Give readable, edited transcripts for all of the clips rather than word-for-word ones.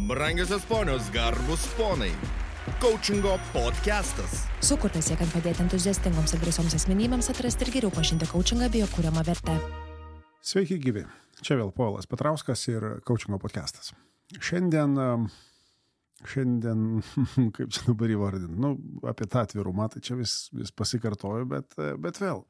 Brangiosios ponios, garbus ponai. Coachingo podcastas. Sukurtas siekiant padėti entuziastingoms ir drąsioms asmenybėms atrasti ir geriau pažinti coachingą bei jo kuriamą vertę. Sveiki gyvi. Čia vėl Povilas Petrauskas ir Coachingo podcastas. Šiandien, kaip čia dabar įvardinti, apie tą atvirumą, tai čia vis pasikartoju, bet vėl.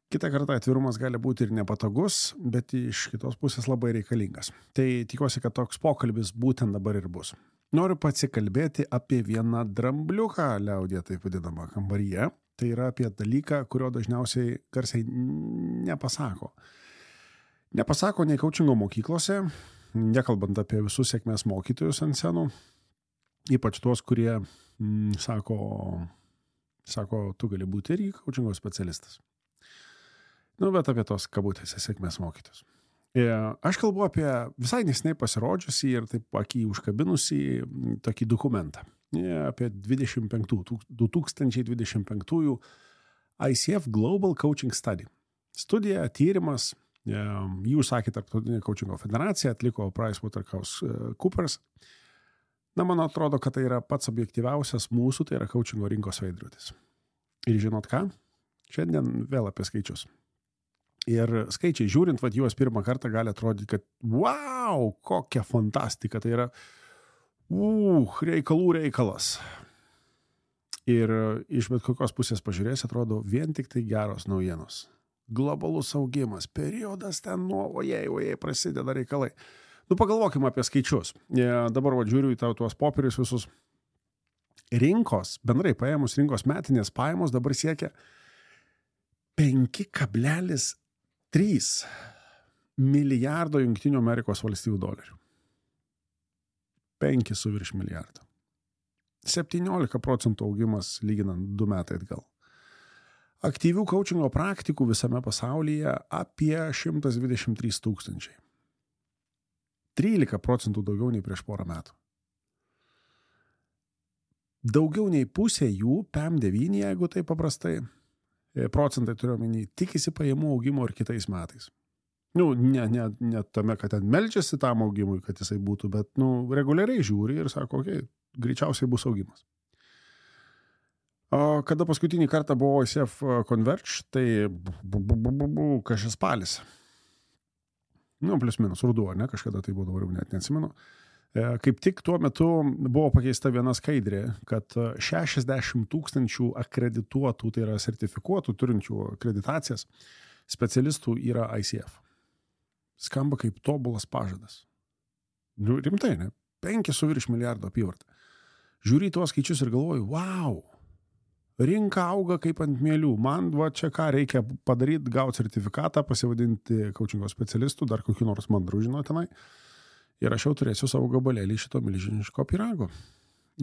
Kitą kartą atvirumas gali būti ir nepatogus, bet iš kitos pusės labai reikalingas. Tai tikiuosi, kad toks pokalbis būtent dabar ir bus. Noriu pasikalbėti apie vieną drambliuką, liaudyje taip vadinamą, kambaryje. Tai yra apie dalyką, kurio dažniausiai garsiai nepasako. Nepasako nei coachingo mokyklose, nekalbant apie visus sėkmės mokytojus ant scenų, ypač tuos, kurie sako, tu gali būti irgi coachingo specialistas. Bet apie tos kabutėse sėkmės mokytus. Aš kalbu apie visai neseniai pasirodžiusį ir taip akį užkabinusį tokį dokumentą. Apie 2025 ICF Global Coaching Study. Studija, tyrimas, jį užsakė Tarptautinė coachingo federacija, atliko PricewaterhouseCoopers. Man atrodo, kad tai yra pats objektyviausias mūsų, tai yra coachingo rinkos veidrodis. Ir žinot ką? Šiandien vėl apie skaičius. Ir skaičiai žiūrint, juos pirmą kartą gali atrodyti, kad wow, kokia fantastika, tai yra reikalų reikalas. Ir iš bet kokios pusės pažiūrės, atrodo vien tik tai geros naujienos. Globalus augimas, periodas ten ojei, prasideda reikalai. Pagalvokime apie skaičius. Dabar žiūriu į tuos popierius visus. Rinkos, bendrai paėmus rinkos metinės pajamos dabar siekia 5,3 milijardo Jungtinių Amerikos valstijų dolerių. 5,virš milijardo. 17% augimas lyginant 2 metai atgal. Aktyvių coachingo praktikų visame pasaulyje apie 123 000. 13% daugiau nei prieš porą metų. Daugiau nei pusė jų, PM9, jeigu tai paprastai, procentai turiu omeny, tikisi pajamų augimo ir kitais metais. Ne tame, kad ten meldžiasi tam augimui, kad jisai būtų, bet reguliariai žiūri ir sako, greičiausiai bus augimas. O kada paskutinį kartą buvo ICF Converge, tai kažkas spalis. Plius minus ruduo, ne, kažkada tai buvo, dabar net neatsimenu. Kaip tik tuo metu buvo pakeista viena skaidrė, kad 60 000 akredituotų, tai yra sertifikuotų, turinčių akreditacijas, specialistų yra ICF. Skamba kaip tobulas pažadas. Rimtai, ne? 5,virš milijardo apyvartą. Žiūri tuos skaičius ir galvoju, wow, rinka auga kaip ant mielių. Man čia ką reikia padaryti, gauti sertifikatą, pasivadinti coachingo specialistų, dar kokių nors mandrų žinotinai. Ir aš jau turėsiu savo gabalėlį šito milžiniško pyrago.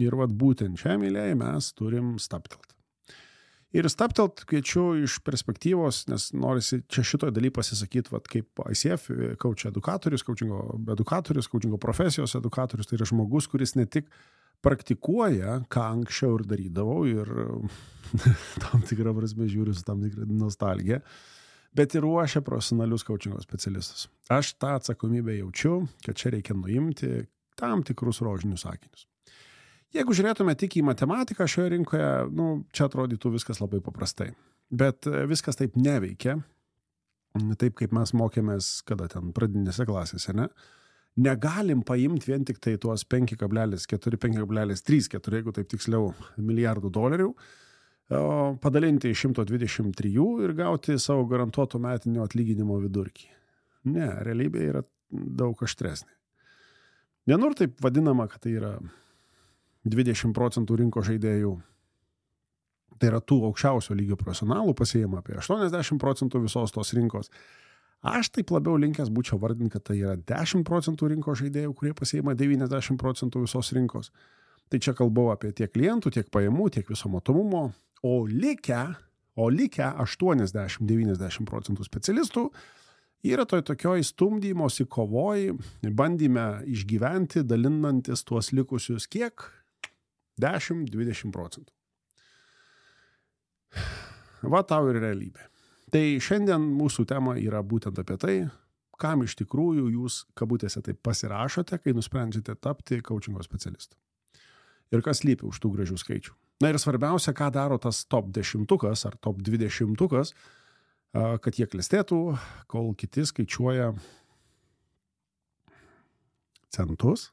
Ir būtent šią mylėją mes turim stabtelt. Ir stabtelt kviečiu iš perspektyvos, nes norisi čia šitoje daly pasisakyti, kaip ICF coach edukatorius, coachingo profesijos edukatorius, tai yra žmogus, kuris ne tik praktikuoja, ką anksčiau ir darydavau, ir tam tikrą prasme žiūriu su tam tikrą nostalgiją, bet ir ruošia profesionalius coachingo specialistus. Aš tą atsakomybę jaučiu, kad čia reikia nuimti tam tikrus rožinius sakinius. Jeigu žiūrėtume tik į matematiką šioje rinkoje, čia atrodytų viskas labai paprastai. Bet viskas taip neveikia, taip kaip mes mokėmės, kada ten pradinėse klasėse, ne? Negalim paimti vien tik tai tuos 5,4, 5,3, jeigu taip tiksliau, milijardų dolerių, padalinti iš 123 ir gauti savo garantuoto metinio atlyginimo vidurkį. Ne, realybė yra daug aštresnė. Vienur taip vadinama, kad tai yra 20% rinko žaidėjų, tai yra tų aukščiausio lygio profesionalų pasiima apie 80% visos tos rinkos. Aš taip labiau linkęs būčiau vardinti, kad tai yra 10% rinko žaidėjų, kurie pasiima 90% visos rinkos. Tai čia kalbau apie tiek klientų, tiek pajamų, tiek viso matomumo. O likę 80-90% specialistų yra tokioj stumdymosi kovoj, bandyme išgyventi, dalinantis tuos likusius kiek? 10-20%. Tau ir realybė. Tai šiandien mūsų tema yra būtent apie tai, kam iš tikrųjų jūs kabutėse taip pasirašote, kai nusprendžiate tapti coachingo specialistu. Ir kas lypi už tų gražių skaičių. Na ir svarbiausia, ką daro tas top 10 ar top 20, kad jie klestėtų, kol kiti skaičiuoja centus,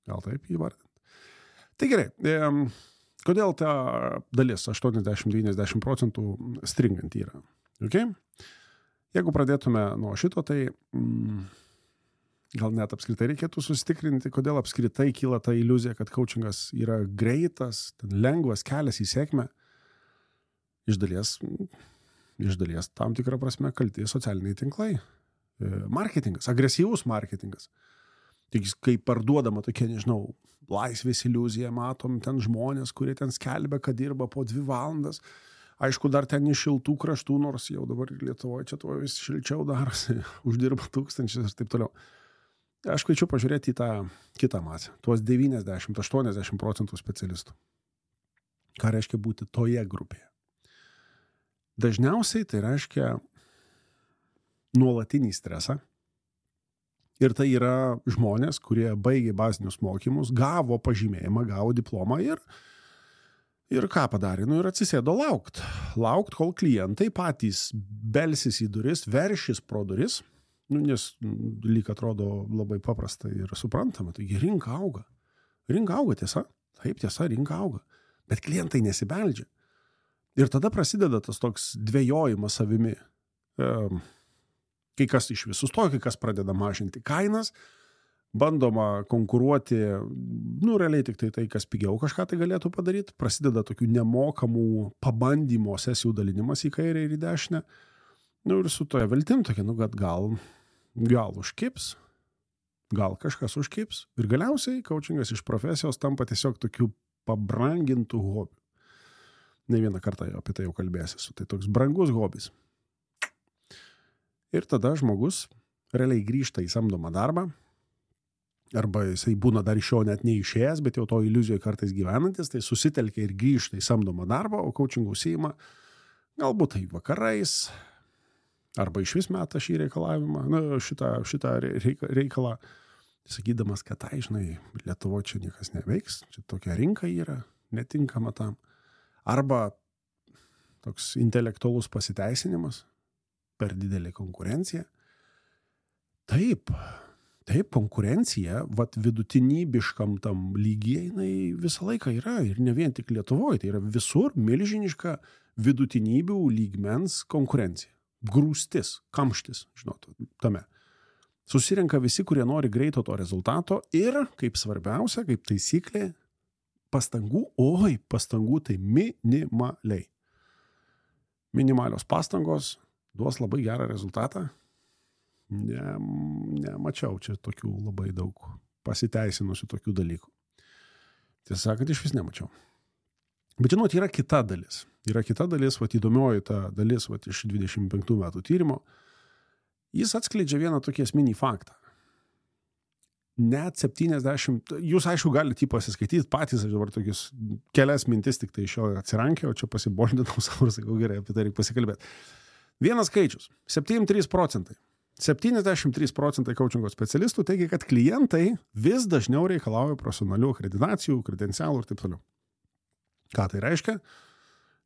gal taip įvardint. Tai gerai, kodėl ta dalis 80-90% stringant yra? Okay? Jeigu pradėtume nuo šito, tai gal net apskritai reikėtų susitikrinti, kodėl apskritai kyla ta iliuzija, kad coachingas yra greitas, lengvas kelias į sėkmę. Iš dalies tam tikrą prasme kalti socialiniai tinklai. Marketingas, agresyvus marketingas. Tik kai parduodama tokia, nežinau, laisvės iliuzija, matom ten žmonės, kurie ten skelbia, kad dirba po 2 valandas. Aišku, dar ten iš šiltų kraštų, nors jau dabar Lietuvoje čia tuo vis šilčiau darosi, uždirba 1000 ir taip toliau. Aš kviečiu pažiūrėti į tą kitą masę, tuos 90-80% specialistų. Ką reiškia būti toje grupėje? Dažniausiai tai reiškia nuolatinį stresą. Ir tai yra žmonės, kurie baigė bazinius mokymus, gavo pažymėjimą, gavo diplomą ir ką padarė? Ir atsisėdo laukt. Laukt, kol klientai patys belsis į duris, veršis pro duris, nes lyg atrodo labai paprasta ir suprantama. Taigi rinka auga. Rinka auga, tiesa. Taip, tiesa, rinka auga. Bet klientai nesibeldžia. Ir tada prasideda tas toks dvejojimas savimi. Kai kas iš visų stoja, kai kas pradeda mažinti kainas, bandoma konkuruoti, realiai tik tai, kas pigiau kažką tai galėtų padaryti, prasideda tokių nemokamų pabandymo sesijų dalinimas į kairę ir į dešinę, ir su toje viltim tokia, kad gal užkips, gal kažkas užkips, ir galiausiai coachingas iš profesijos tampa tiesiog tokių pabrangintų hobių. Ne vieną kartą apie tai jau kalbėsiu, tai toks brangus hobis. Ir tada žmogus realiai grįžta į samdomą darbą, arba jisai būna dar iš jo net neišėjęs, bet jau to iliuzijoje kartais gyvenantis, tai susitelkia ir grįžta į samdomą darbą, o coachingų užsiima galbūt tai vakarais, arba iš vis meta šį reikalavimą, šitą reikalą, sakydamas, kad Lietuvoje čia niekas neveiks, čia tokia rinka yra, netinkama tam. Arba toks intelektualus pasiteisinimas, per didelė konkurencija. Taip, konkurencija, vidutinybiškam tam lygiai, jinai visą laiką yra, ir ne vien tik Lietuvoje, tai yra visur milžiniška vidutinybių lygmens konkurencija. Grūstis, kamštis, tame. Susirenka visi, kurie nori greito to rezultato ir, kaip svarbiausia, kaip taisyklė, pastangų tai minimaliai. Minimalios pastangos duos labai gerą rezultatą. Nemačiau čia tokių labai daug pasiteisinusių tokių dalykų. Tiesą sakant, iš vis nemačiau. Bet yra kita dalis. Yra kita dalis, įdomioji ta dalis iš 25 metų tyrimo. Jis atskleidžia vieną tokį esminį faktą. Net 70, jūs aišku galite jį pasiskaityti patys, aš dabar tokius kelias mintis tik tai iš jo atsirankėjau, čia pasiboldinau savo ir sakau, gerai, apie tai reikia pasikalbėti. Vienas skaičius, 73%. 73% coachingo specialistų teigia, kad klientai vis dažniau reikalauja profesionalių akreditacijų, kredencialų ir taip toliau. Ką tai reiškia?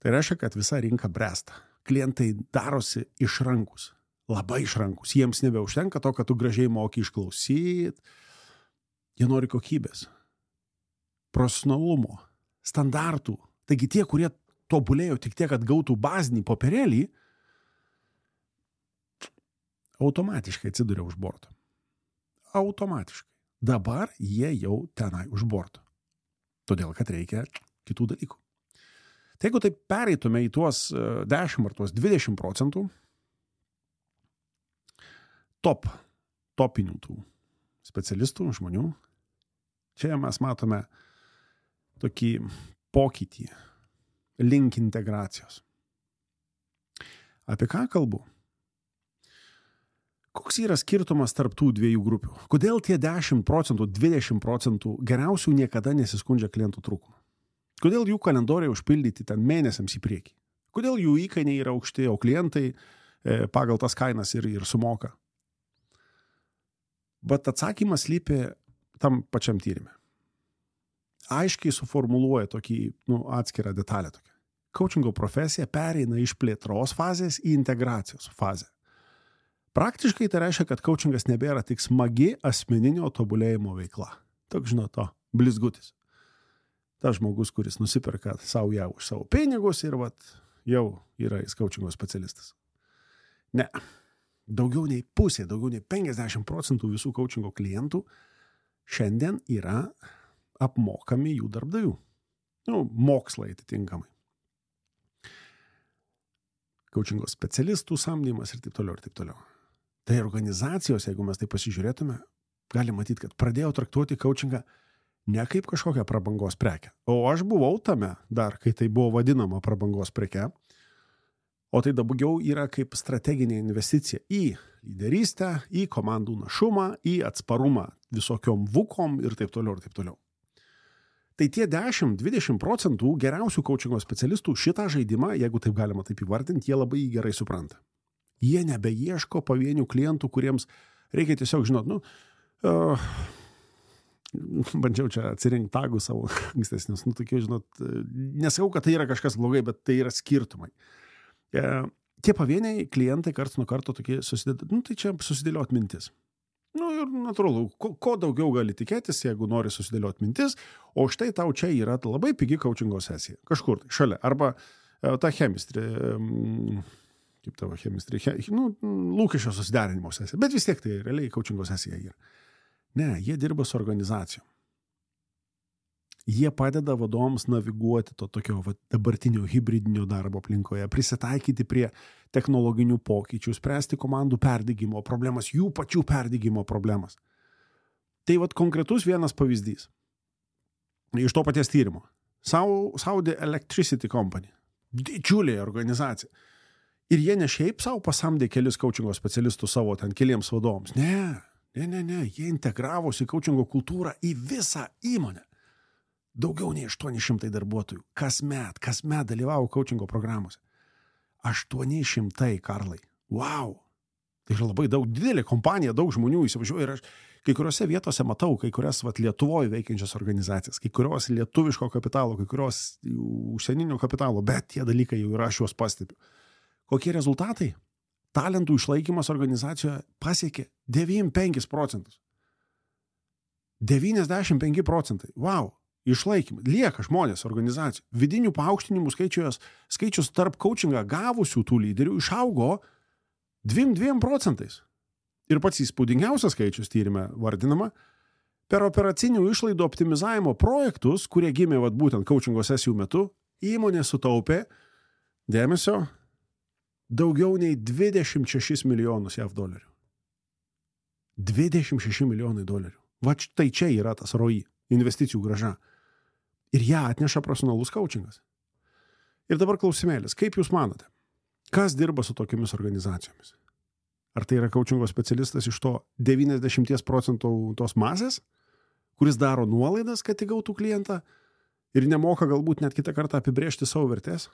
Tai reiškia, kad visa rinka bręsta. Klientai darosi išrankus, labai išrankus. Jiems nebeužtenka to, kad tu gražiai moki išklausyti. Jie nori kokybės, profesionalumo, standartų. Taigi tie, kurie tobulėjo tik tiek, kad gautų bazinį popierėlį, automatiškai atsiduria už borto. Automatiškai. Dabar jie jau tenai už borto. Todėl, kad reikia kitų dalykų. Tai jeigu taip pereitume į tuos 10 ar tuos 20% topinių tų specialistų, žmonių, čia mes matome tokį pokytį link integracijos. Apie ką kalbu? Koks yra skirtumas tarp tų dviejų grupių? Kodėl tie 10%, 20% geriausių niekada nesiskundžia klientų trūkumu? Kodėl jų kalendoriai užpildyti ten mėnesiams į priekį? Kodėl jų įkainiai yra aukšti, o klientai pagal tas kainas ir sumoka? Bet atsakymas slypi tam pačiam tyrime. Aiškiai suformuluoja tokį atskirą detalę. Coachingo profesija pereina iš plėtros fazės į integracijos fazę. Praktiškai tai reiškia, kad coachingas nebėra tik smagi asmeninio tobulėjimo veikla. Toks, blizgutis. Tas žmogus, kuris nusiperka savo ją už savo pinigus ir jau yra jis coachingo specialistas. Ne. Daugiau nei pusė, daugiau nei 50% visų coachingo klientų šiandien yra apmokami jų darbdavių. Mokslai atitinkamai. Coachingo specialistų samdymas ir taip toliau, ir taip toliau. Tai organizacijos, jeigu mes tai pasižiūrėtume, gali matyti, kad pradėjo traktuoti coachingą ne kaip kažkokią prabangos prekę. O aš buvau tame dar, kai tai buvo vadinama prabangos preke, o tai daugiau yra kaip strateginė investicija į lyderystę, į komandų našumą, į atsparumą visokiom vukom ir taip toliau, ir taip toliau. Tai tie 10-20% geriausių coachingo specialistų šitą žaidimą, jeigu taip galima taip įvardinti, jie labai gerai supranta. Jie nebeieško pavienių klientų, kuriems reikia tiesiog bandžiau čia atsirinkti tagų savo ankstesnius, nesakau, kad tai yra kažkas blogai, bet tai yra skirtumai. Tie pavieniai klientai karts nuo karto tokie susidėliot, tai čia susidėliot mintis. Ir natūralu, ko daugiau gali tikėtis, jeigu nori susidėliot mintis, o štai tau čia yra labai pigi coachingo sesija. Kažkur tai šalia. Arba ta chemistrė, kaip tavo chemistrė, lūkesčio susiderinimo sesija. Bet vis tiek tai realiai coachingo sesija yra. Ne, jie dirba su organizacijom. Jie padeda vadovams naviguoti to tokio dabartinio hibridinio darbo aplinkoje, prisitaikyti prie technologinių pokyčių, spręsti komandų perdegimo problemas, jų pačių perdegimo problemas. Tai konkretus vienas pavyzdys. Iš to paties tyrimo. Saudi Electricity Company. Didžiulė organizacija. Ir jie ne šiaip savo pasamdė kelis coachingo specialistus savo ten keliems vadovams. Ne. Jie integravosi coachingo kultūrą į visą įmonę. Daugiau nei 800 darbuotojų. Kasmet dalyvavo coachingo programuose. 800, Karlai. Wow! Tai yra labai daug, didelė kompanija, daug žmonių įsivažiuoja ir aš kai kuriuose vietose matau, kai kurias Lietuvoje veikiančias organizacijas, kai kurios lietuviško kapitalo, kai kurios užsieninio kapitalo, bet tie dalykai jau yra, aš juos pastebiu. Kokie rezultatai? Talentų išlaikymas organizacijoje pasiekė 95%. 95%. Wow! Išlaikymą. Lieka žmonės organizacijų. Vidinių paaukštinimų skaičius tarp coachingą gavusių tų lyderių išaugo 2%. Ir pats įspūdingiausias skaičius tyrime vardinama, per operacinių išlaidų optimizavimo projektus, kurie gimė būtent coachingo sesijų metu, įmonė sutaupė, dėmesio, daugiau nei 26 milijonus JAV dolerių. 26 milijonai dolerių. Tai čia yra tas ROI, investicijų grąža. Ir ją atneša profesionalus coachingas. Ir dabar klausimėlis, kaip jūs manote, kas dirba su tokiamis organizacijomis? Ar tai yra coachingo specialistas iš to 90% tos masės, kuris daro nuolaidas, kad įgautų klientą ir nemoka galbūt net kitą kartą apibrėžti savo vertės?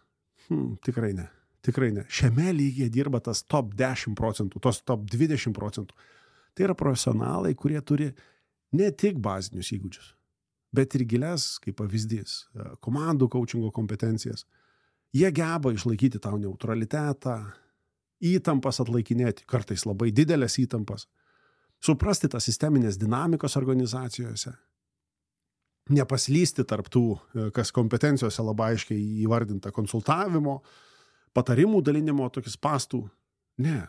Tikrai ne. Šiame lygyje dirba tas top 10%, tos top 20%. Tai yra profesionalai, kurie turi ne tik bazinius įgūdžius, bet ir gilias, kaip pavyzdys, komandų coachingo kompetencijas. Jie geba išlaikyti tau neutralitetą, įtampas atlaikinėti, kartais labai didelės įtampas, suprasti tas sisteminės dinamikos organizacijose, nepaslysti tarp tų, kas kompetencijose labai aiškiai įvardinta konsultavimo, patarimų dalinimo, tokis pastų. Ne.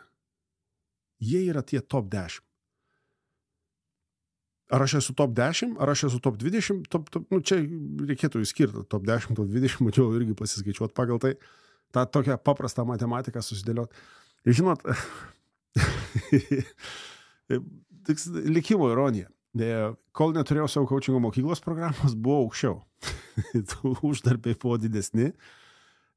Jie yra tie top 10. Ar aš esu top 10, ar aš esu top 20, čia reikėtų įskirti top 10, top 20, mačiau irgi pasiskaičiuoti pagal tai, tą tokią paprastą matematiką susidėlioti. Ir žinot, likimo ironija. Kol neturėjau savo coachingo mokyklos programos, buvo aukščiau. Uždarbiai buvo didesni.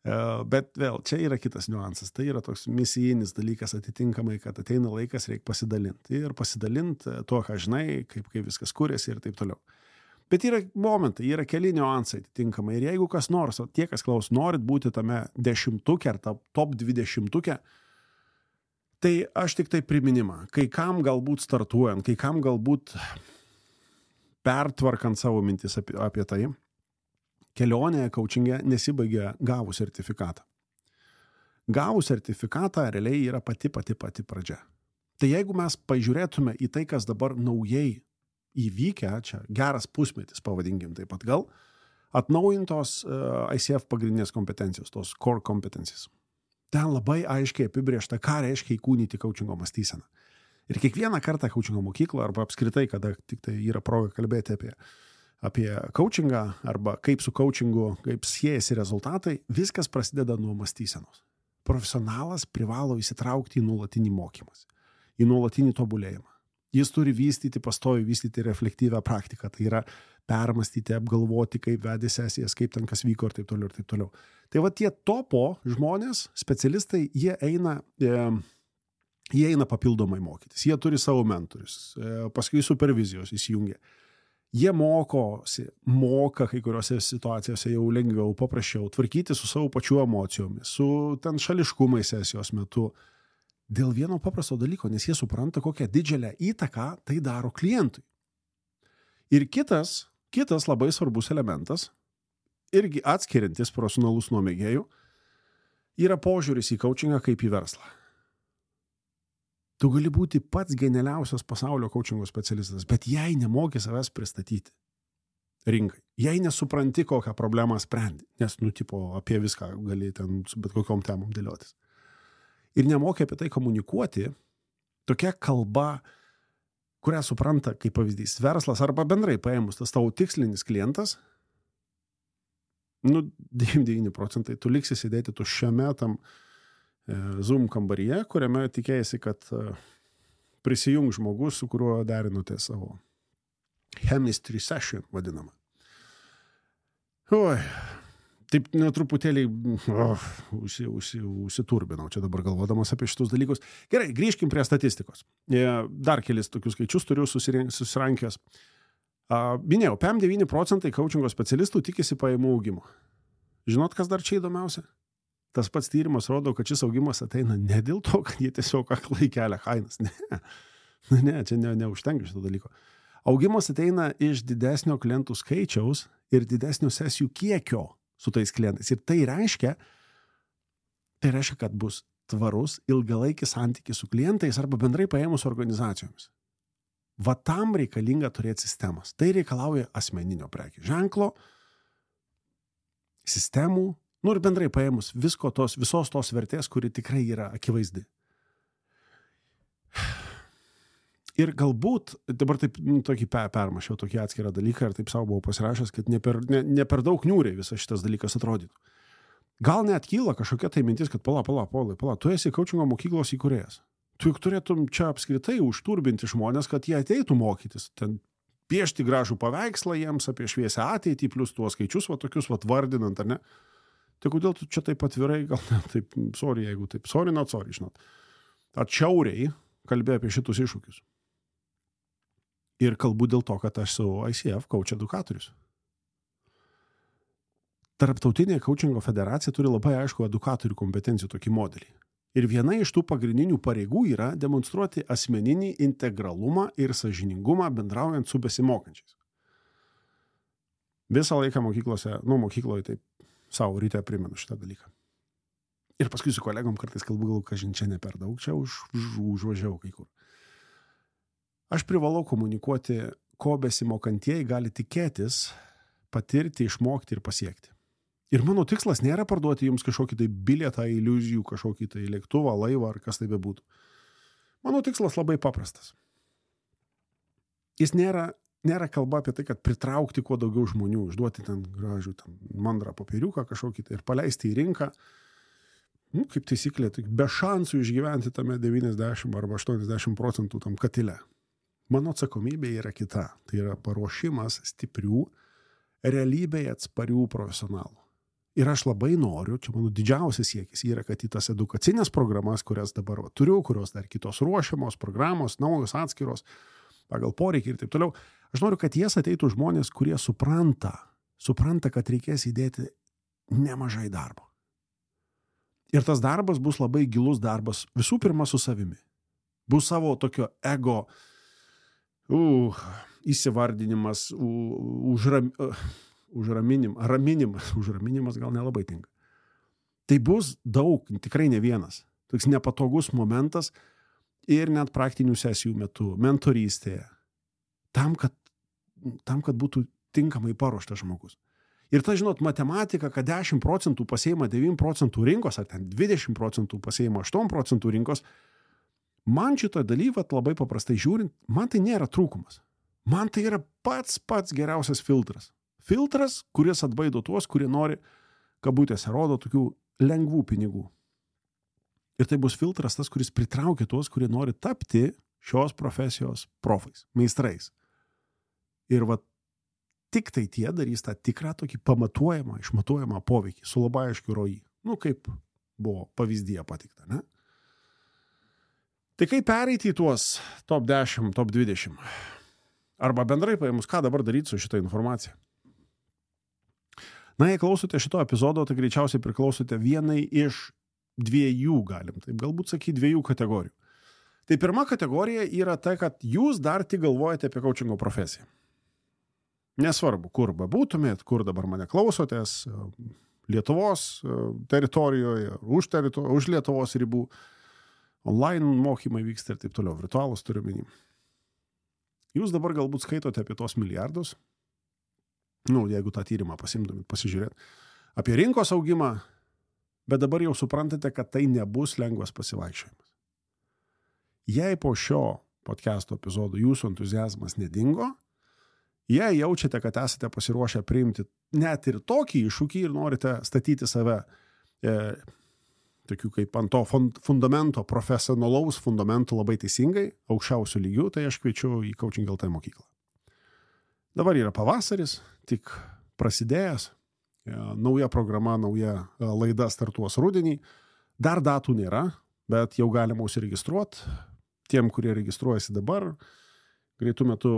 Bet vėl, čia yra kitas niuansas. Tai yra toks misijinis dalykas atitinkamai, kad ateina laikas, reikia pasidalinti. Ir pasidalinti to, ką žinai, kaip viskas kuriasi ir taip toliau. Bet yra momentai, yra keli niuansai atitinkamai. Ir jeigu kas nors, tie, kas klaus, norit būti tame 10-tuke ar top 20-tuke, Tai aš tik tai priminimą, kai kam galbūt startuojant, kai kam galbūt pertvarkant savo mintis apie tai, kelionėje coachinge nesibaigia gavus sertifikatą. Gavus sertifikatą realiai yra pati pradžia. Tai jeigu mes pažiūrėtume į tai, kas dabar naujai įvykę, čia geras pusmetis, pavadinkim taip pat gal, atnaujintos ICF pagrindinės kompetencijos, tos core competencies. Ten labai aiškiai apibrėžta, ką reiškia įkūnyti coachingo mąstyseną. Ir kiekvieną kartą coachingo mokykloje arba apskritai, kada tik tai yra proga kalbėti apie coachingą arba kaip su coachingu, kaip siejasi rezultatai, viskas prasideda nuo mąstysenos. Profesionalas privalo įsitraukti į nuolatinį mokymąsi, į nuolatinį tobulėjimą. Jis turi pastoviai vystyti reflektyvę praktiką, tai yra permastyti, apgalvoti, kaip vedė sesijas, kaip ten kas vyko ir taip toliau ir taip toliau. Tai va tie topo žmonės, specialistai, jie eina papildomai mokytis, jie turi savo mentorius, paskui supervizijos įsijungia. Jie moka kai kuriuose situacijose jau lengviau, paprasčiau, tvarkyti su savo pačių emocijomis, su ten šališkumais sesijos metu. Dėl vieno paprasto dalyko, nes jie supranta, kokią didžiulę įtaką tai daro klientui. Ir kitas labai svarbus elementas, irgi atskiriantis profesionalus nuo mėgėjų, yra požiūris į coachingą kaip į verslą. Tu gali būti pats genialiausias pasaulio coachingo specialistas, bet jei nemoki savęs pristatyti rinkai, jei nesupranti, kokią problemą sprendi, nes, apie viską gali ten su bet kokiom temom dėliotis. Ir nemoki apie tai komunikuoti, tokia kalba, kurią supranta, kaip pavyzdys, verslas arba bendrai paėmus tas tavo tikslinis klientas, 99% tu liksi sėdėti tuščiame tam Zoom kambaryje, kuriame tikėjasi, kad prisijung žmogus, su kuriuo derinote savo chemistry session vadinamą. Oi, taip netruputėlį užsiturbinau čia dabar galvodamas apie šitus dalykus. Gerai, grįžkim prie statistikos. Dar kelis tokius skaičius turiu susirankęs. Minėjau, 9% coachingo specialistų tikisi pajamų augimo. Žinot, kas dar čia įdomiausia? Tas pats tyrimas rodo, kad šis augimas ateina ne dėl to, kad jie tiesiog aklai kelia kainas. Ne, čia neužtenka šito dalyko. Augimas ateina iš didesnio klientų skaičiaus ir didesnio sesijų kiekio su tais klientais. Ir tai reiškia, kad bus tvarus, ilgalaikis santykis su klientais arba bendrai paėmus organizacijomis. Va tam reikalinga turėti sistemas. Tai reikalauja asmeninio prekių ženklo, sistemų, ir bendrai paėmus visos tos vertės, kuri tikrai yra akivaizdi. Ir galbūt, dabar taip tokį permašiau, tokį atskirą dalyką ir taip savo buvau pasirašęs, kad ne per daug niūriai visas šitas dalykas atrodytų. Gal net kyla kažkokia tai mintis, kad pala, tu esi coachingo mokyklos įkūrėjas. Tu juk turėtum čia apskritai užturbinti žmonės, kad jie ateitų mokytis, ten piešti gražų paveikslą jiems apie šviesią ateitį, plus tuos skaičius, tokius vardinant, ar ne? Tai kodėl tu čia taip atvirai, gal ne, taip, jeigu taip, not sorry, žinot. Atšiauriai kalbėjau apie šitus iššūkius. Ir kalbu dėl to, kad aš savo ICF coach edukatorius. Tarptautinė coachingo federacija turi labai aišku edukatorių kompetencijų tokį modelį. Ir viena iš tų pagrindinių pareigų yra demonstruoti asmeninį integralumą ir sąžiningumą bendraujant su besimokančiais. Visą laiką mokykloje taip savo ryte primenu šitą dalyką. Ir paskui su kolegom kartais kalbu, kažin čia ne per daug, čia užvažiavau kai kur. Aš privalau komunikuoti, ko besimokantieji gali tikėtis, patirti, išmokti ir pasiekti. Ir mano tikslas nėra parduoti jums kažkokį tai bilietą, iliuzijų, kažkokį tai lėktuvą, laivą ar kas tai bebūtų. Mano tikslas labai paprastas. Jis nėra kalba apie tai, kad pritraukti kuo daugiau žmonių, užduoti ten gražų mandrą popieriuką kažkokį tai ir paleisti į rinką. Kaip taisyklė, be šansų išgyventi tame 90 arba 80% tam katile. Mano atsakomybė yra kita. Tai yra paruošimas stiprių, realybėje atsparių profesionalų. Ir aš labai noriu, čia mano didžiausias siekis yra, kad į tas edukacinės programas, kurias dabar turiu, kurios dar kitos ruošiamos, programos, naujos atskiros, pagal poreikį ir taip toliau, aš noriu, kad jas ateitų žmonės, kurie supranta, kad reikės įdėti nemažai darbo. Ir tas darbas bus labai gilus darbas visų pirma su savimi. Bus savo tokio ego įsivardinimas, raminimas gal nelabai tinka. Tai bus daug, tikrai ne vienas. Toks nepatogus momentas ir net praktinių sesijų metu, mentorystėje. Tam, kad būtų tinkamai paruoštas žmogus. Ir ta, žinot, matematika, kad 10% pasiima 9% rinkos, ar ten 20% pasiima 8% rinkos, man šito dalyvat labai paprastai žiūrint, man tai nėra trūkumas. Man tai yra pats geriausias filtras. Filtras, kuris atbaido tuos, kurie nori, kabutėse rodo, tokių lengvų pinigų. Ir tai bus filtras tas, kuris pritraukia tuos, kurie nori tapti šios profesijos profais, meistrais. Ir va, tik tai tie darys tą tikrą tokį pamatuojamą, išmatuojamą poveikį su labai aiškiu ROI. Kaip buvo pavyzdyje patikta, ne? Tai kaip pereiti į tuos top 10, top 20? Arba bendrai paėmus, ką dabar daryti su šitą informaciją? Na, jei klausote šito epizodo, tai greičiausiai priklausote vienai iš 2, galim taip galbūt sakyti, 2 kategorijų. Tai pirma kategorija yra ta, kad jūs dar tik galvojate apie coachingo profesiją. Nesvarbu, kur bebūtumėt, kur dabar mane klausotės, Lietuvos teritorijoje, už Lietuvos ribų, online mokymai vyksta ir taip toliau, virtualus turiu omeny. Jūs dabar galbūt skaitote apie tos milijardus, jeigu tą tyrimą pasimtumėt pasižiūrėt, apie rinkos augimą, bet dabar jau suprantate, kad tai nebus lengvas pasivaikščiojimas. Jei po šio podcast'o epizodo jūsų entuziazmas nedingo, jei jaučiate, kad esate pasiruošę priimti net ir tokį iššūkį ir norite statyti save tokių kaip ant to fundamento, profesionalaus fundamento labai teisingai, aukščiausių lygių, tai aš kviečiu į Coaching LT mokyklą. Dabar yra pavasaris, tik prasidėjęs, nauja programa, nauja laida startuos rudenį, dar datų nėra, bet jau galima užsiregistruoti. Tiem, kurie registruojasi dabar, greitų metų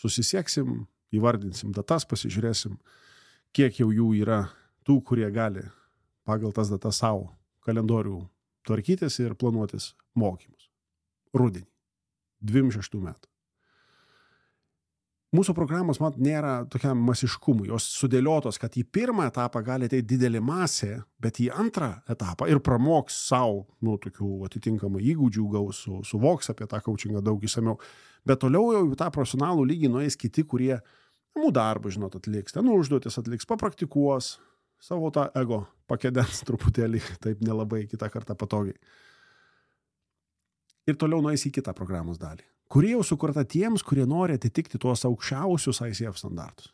susisieksim, įvardinsim datas, pasižiūrėsim, kiek jau jų yra tų, kurie gali pagal tas datas savo kalendorių tvarkytis ir planuotis mokymus. Rudenį. 26 metų. Mūsų programos, nėra tokiam masiškumui. Jos sudėliotos, kad į pirmą etapą gali ateiti didelė masė, bet į antrą etapą ir pramoks savo, tokių atitinkamų įgūdžių gaus, suvoks apie tą coachingą daug išsamiau. Bet toliau jau tą profesionalų lygį nueis kiti, kurie namų darbą, atliks, ten užduotis atliks, papraktikuos, savo tą ego pakedens truputėlį, taip nelabai kitą kartą patogiai. Ir toliau nueis į kitą programos dalį, kuri jau sukurta tiems, kurie nori atitikti tuos aukščiausius ICF standartus.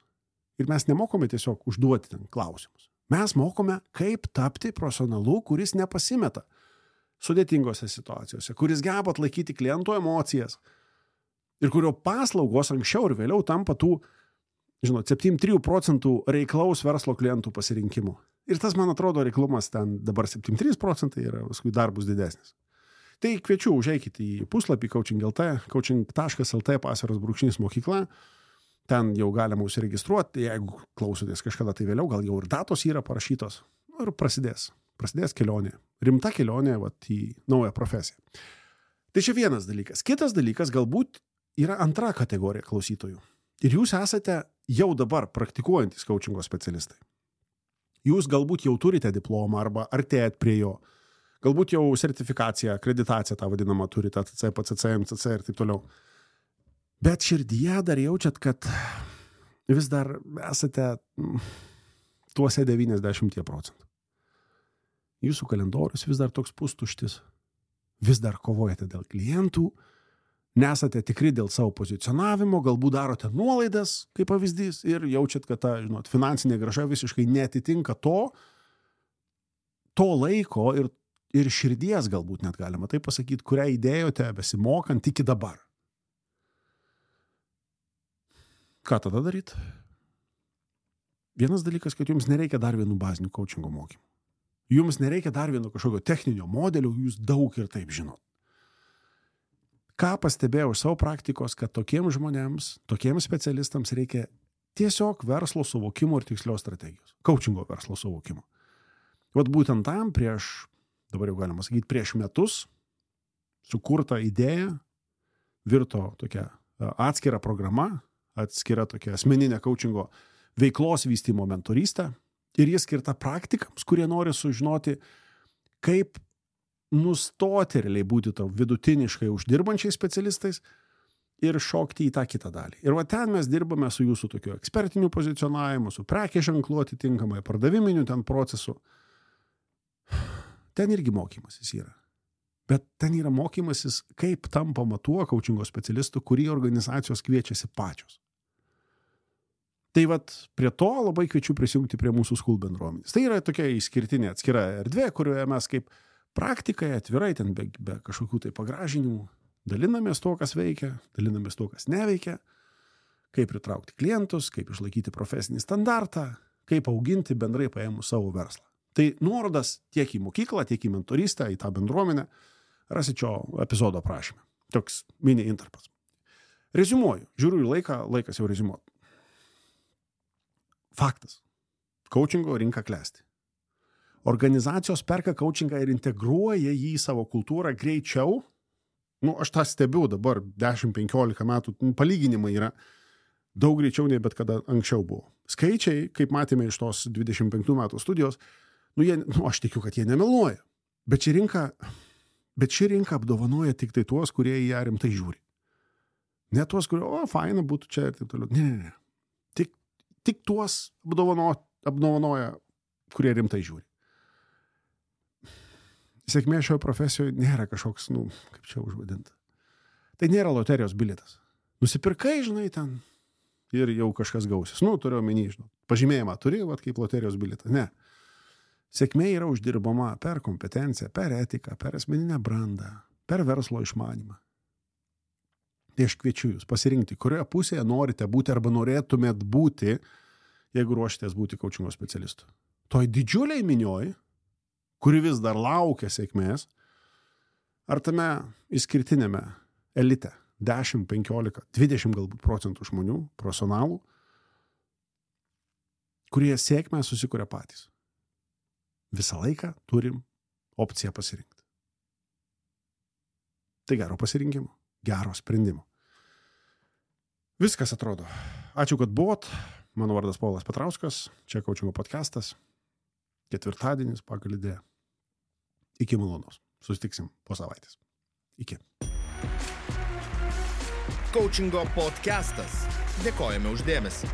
Ir mes nemokome tiesiog užduoti ten klausimus. Mes mokome, kaip tapti profesionalu, kuris nepasimeta sudėtingose situacijose, kuris geba atlaikyti klientų emocijas ir kurio paslaugos anksčiau ir vėliau tampa tų 73% reiklaus verslo klientų pasirinkimų. Ir tas, man atrodo, reiklumas ten dabar 73% yra, paskui dar bus didesnis. Tai kviečiu, užeikite į puslapį Coaching LT, coaching.lt /mokykla. Ten jau galima užsiregistruoti, jeigu klausotės kažkada tai vėliau, gal jau ir datos yra parašytos. Ir prasidės kelionė. Rimta kelionė į naują profesiją. Tai čia vienas dalykas. Kitas dalykas galbūt yra antra kategorija klausytojų. Ir jūs esate jau dabar praktikuojantys coachingo specialistai. Jūs galbūt jau turite diplomą arba artėjat prie jo. Galbūt jau sertifikaciją, akreditaciją tą vadinamą turite, ATC, PCC, MCC ir taip toliau. Bet širdyje dar jaučiat, kad vis dar esate tuose 90%. Jūsų kalendorius vis dar toks pustuštis. Vis dar kovojate dėl klientų, nesate tikri dėl savo pozicionavimo, galbūt darote nuolaidas, kaip pavyzdys, ir jaučiat, kad ta, finansinė grąža visiškai neatitinka to laiko ir širdies galbūt net galima taip pasakyti, kurią įdėjote besimokant iki dabar. Ką tada daryti? Vienas dalykas, kad jums nereikia dar vienų bazinių coachingo mokymų. Jums nereikia dar vieno kažkokio techninio modelio, jūs daug ir taip žinot. Ką pastebėjau iš savo praktikos, kad tokiems žmonėms, tokiems specialistams reikia tiesiog verslo suvokimo ir tikslios strategijos. Coachingo verslo suvokimo. Vat būtent tam prieš dabar jau galima sakyti, prieš metus sukurta idėja, virto tokia atskira programa, atskira tokia asmeninė coachingo veiklos vystymo mentorystė ir jis skirta praktikams, kurie nori sužinoti, kaip nustoti realiai būti tau vidutiniškai uždirbančiais specialistais ir šokti į tą kitą dalį. Ir va ten mes dirbame su jūsų tokiu ekspertiniu pozicionavimu, su prekės ženklu atitinkamai, pardaviminiu ten procesu. Ten irgi mokymasis yra. Bet ten yra mokymasis, kaip tampama tuo coachingo specialistu, kurį organizacijos kviečiasi pačios. Tai vat prie to labai kviečiu prisijungti prie mūsų School bendruomenės. Tai yra tokia išskirtinė atskira erdvė, kurioje mes kaip praktikai atvirai ten be kažkokių tai pagražinimų dalinamės to, kas veikia, dalinamės to, kas neveikia, kaip pritraukti klientus, kaip išlaikyti profesinį standartą, kaip auginti bendrai paėmus savo verslą. Tai nuorodas tiek į mokyklą, tiek į mentorystę, į tą bendruomenę rasit šio epizodo aprašyme. Toks mini intarpas. Reziumuoju. Žiūriu į laiką, laikas jau reziumuoti. Faktas. Coachingo rinka klesti. Organizacijos perka coachingą ir integruoja jį į savo kultūrą greičiau. Aš tą stebiu dabar 10-15 metų, palyginimai yra daug greičiau nei bet kada anksčiau buvo. Skaičiai, kaip matėme iš tos 25 metų studijos, aš tikiu, kad jie nemeluoja. Bet ši rinka apdovanoja tik tai tuos, kurie į ją rimtai žiūri. Ne tuos, kurie, faina būtų čia ir taip toliau. Ne. Tik tuos apdovanoja, kurie rimtai žiūri. Sėkmė šioje profesijoje nėra kažkoks, kaip čia užvadinta. Tai nėra loterijos bilietas. Nusipirkai, žinai, ten ir jau kažkas gausis. Turiu omeny, pažymėjimą turi, kaip loterijos bilietą. Ne. Sėkmė yra uždirbama per kompetenciją, per etiką, per asmeninę brandą, per verslo išmanymą. Tai aš kviečiu jūs pasirinkti, kurioje pusėje norite būti arba norėtumėt būti, jeigu ruošitės būti coachingo specialistu. Toj didžiuliai minioj, kuri vis dar laukia sėkmės, ar tame išskirtinėme elite 10, 15, 20 galbūt procentų žmonių, profesionalų, kurie sėkmę susikuria patys. Visą laiką turim opciją pasirinkti. Tai gero pasirinkimo, gero sprendimo. Viskas atrodo. Ačiū, kad buvot. Mano vardas Povilas Petrauskas. Čia coachingo podcastas. Ketvirtadienis pagal idėją. Iki malonaus. Susitiksim po savaitės. Iki. Coachingo podcastas. Dėkojame už dėmesį.